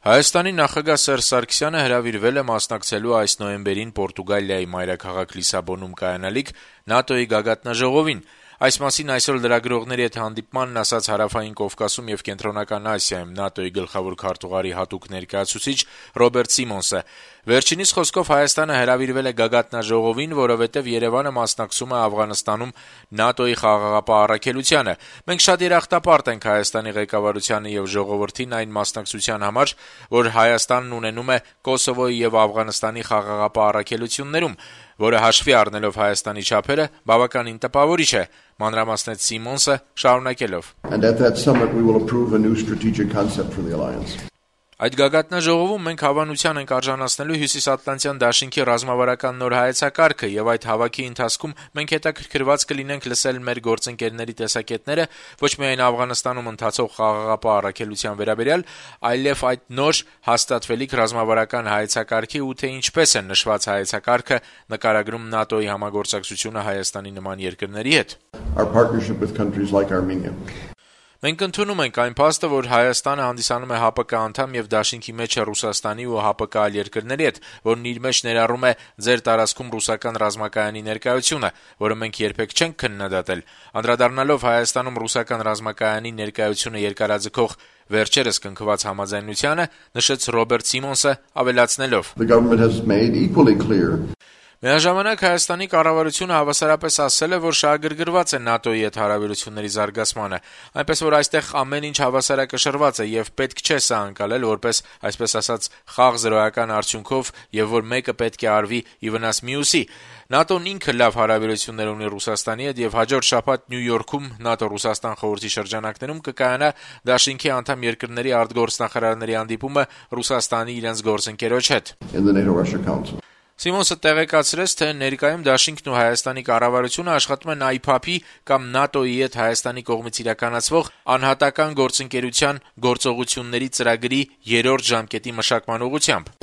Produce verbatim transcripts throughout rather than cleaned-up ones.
Հայաստանի նախագահ Սերժ Սարգսյանը հրավիրվել է մասնակցելու այս նոյեմբերին Պորտուգալիայի մայրաքաղաք Լիսաբոնում կայանալիք ՆԱՏՕ-ի գագաթնաժողովին։ Այս մասին այսօր լրագրողների հետ հանդիպմանն ասաց Հարավային Կովկասում եւ Կենտրոնական Ասիայում ՆԱՏՕ-ի գլխավոր քարտուղարի հատուկ ներկայացուցիչ Ռոբերտ Սիմոնսը։ Վերջինիս խոսքով Հայաստանը հրավիրվել է գագաթնաժողովին, որովհետեւ Երևանը մասնակցում է Աֆղանստանում ՆԱՏՕ-ի խաղաղապահ առաքելությանը։ Մենք շատ երախտապարտ ենք Հայաստանի ղեկավարությանը եւ ժողովրդին այն մասնակցության համար, որ Հայաստանն ունենում է Կոսովոյի եւ Աֆղանստանի խաղաղապահ առաքելություններում, որը հաշվի առնելով Հայաստանի չափերը բավականին տպավորիչ է, մանրամասնեց Սիմոնսը, շարունակելով. Այդ գագաթնաժողովում մենք հավանության ենք արժանացնելու Հյուսիսատլանտյան դաշինքի ռազմավարական նոր հայեցակարգը եւ այդ հավաքի ընթացքում մենք հետաքրքրված կլինենք լսել մեր գործընկերների տեսակետները ոչ միայն Աֆղանստանում ընթացող խաղաղապահ առաքելության վերաբերյալ, այլև այդ նոր հաստատվելիք ռազմավարական հայեցակարգի ու թե ինչպես է նշված հայեցակարգը նկարագրում ՆԱՏՕ-ի համագործակցությունը Հայաստանի նման երկրների հետ։ Մենք ընդունում ենք այն փաստը, որ Հայաստանը հանդիսանում է ՀԱՊԿ անդամ եւ դաշինքի մեջ է Ռուսաստանի ու ՀԱՊԿ այլ երկրների հետ, որն իր մեջ ներառում է ձեր տարածքում ռուսական ռազմակայանի ներկայությունը, որը մենք երբեք չենք քննադատել։ Անդրադառնալով Հայաստանում ռուսական ռազմակայանի ներկայությունը երկարաձգող վերջերս կնքված համաձայնությանը, նշեց Ռոբերտ Սիմոնսը, ավելացնելով. Միաժամանակ Հայաստանի կառավարությունը հավասարապես ասել է, որ շահագրգռված է ՆԱՏՕ-ի հետ հարաբերությունների զարգացմանը, այնպես որ այստեղ ամեն ինչ հավասարակշռված է եւ պետք չէ սա անցալել որպես, այսպես ասած, խաղ զրոյական արդյունքով եւ որ մեկը պետք է արվի ի վնաս մյուսի։ ՆԱՏՕ-ն ինքը լավ հարաբերություններ ունի Ռուսաստանի հետ եւ հաջորդ շաբաթ Նյու Յորքում ՆԱՏՕ-Ռուսաստան խորհրդի շրջանակներում կկայանա դաշինքի անդամ երկրների արտգործնախարարների հանդիպումը Ռուսաստանի իրենց գործընկերոջ հետ։ Սիմոնսը տեղեկացրեց, թե ներկայում դաշինքն ու Հայաստանի կառավարությունը աշխատում են այ փ ա փ-ի կամ ՆԱՏՕ-ի հետ Հայաստանի կողմից իրականացվող անհատական գործընկերության գործողությունների ծրագրի երրորդ ժամկետի մշակման ուղղությամբ։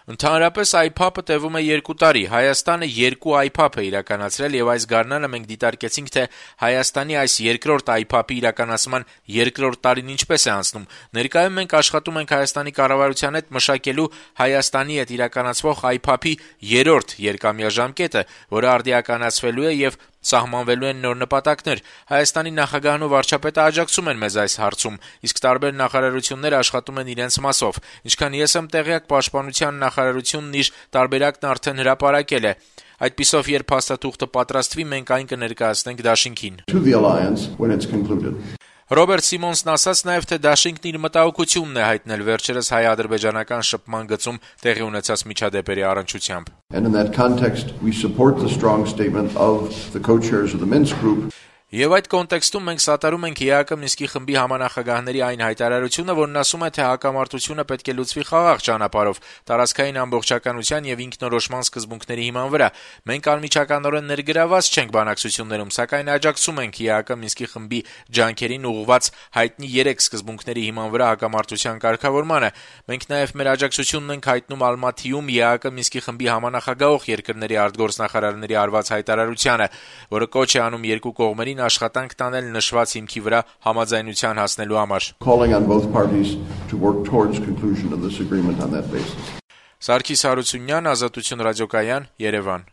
Ընդհանրապես այ փ ա փը տևում է երկու տարի։ Հայաստանը երկու այ փ ա փ է իրականացրել եւ այս գարնանը մենք դիտարկեցինք, թե Հայաստանի այս երկրորդ այ փ ա փի իրականացման երկրորդ տարին ինչպես է անցնում։ Ներկայում մենք աշխատում ենք Հայաստանի կառավարության հետ մշակելու Հայաստանի հետ իրականացվող այ փ ա փի երրորդ երկամյա ժամկետը, որը արդիականացվելու է եւ սահմանվելու են նոր նպատակներ։ Հայաստանի նախագահն ու վարչապետը աջակցում են մեզ այս հարցում, իսկ տարբեր նախարարություններ աշխատում են իրենց մասով։ Ինչքան ես եմ տեղյակ, Պաշտպանության նախարարությունն իր տարբերակն արդեն հրապարակել է։ Այդպիսով, երբ փաստաթուղթը պատրաստվի, մենք այն կներկայացնենք դաշինքին։ Ռոբերտ Սիմոնսն ասաց նաև, թե դաշինքն իր մտահոգությունն է հայտնել վերջերս հայ-ադրբեջանական շփման գծում տեղի ունեցած միջադեպերի առնչությամբ։ Եվ այդ կոնտեքստում մենք սատարում ենք ԵԱԿ Մինսկի խմբի համանախագահների այն հայտարարությունը, որն ասում է, թե հակամարտությունը պետք է լուծվի խաղաղ ճանապարհով, տարածքային ամբողջականության եւ ինքնորոշման սկզբունքների հիման վրա։ Մենք անմիջականորեն ներգրաված չենք բանակցություններում, սակայն աջակցում ենք ԵԱԿ Մինսկի խմբի ջանքերին ուղղված հայտնի երեք սկզբունքների հիման վրա հակամարտության կարգավորմանը։ Մենք նաեւ մեր աջակցությունն ենք հայտնում Ալմաթիում ԵԱԿ Մինսկի խմբի համանախագահող երկրների արտգործնախարարների արված հայտարարությանը, որը կոչ է անում երկու կողմերին աշխատանք տանել նշված հիմքի վրա համաձայնության հասնելու համար։ Սարգիս Հարությունյան, Ազատություն ռադիոկայան, Երևան։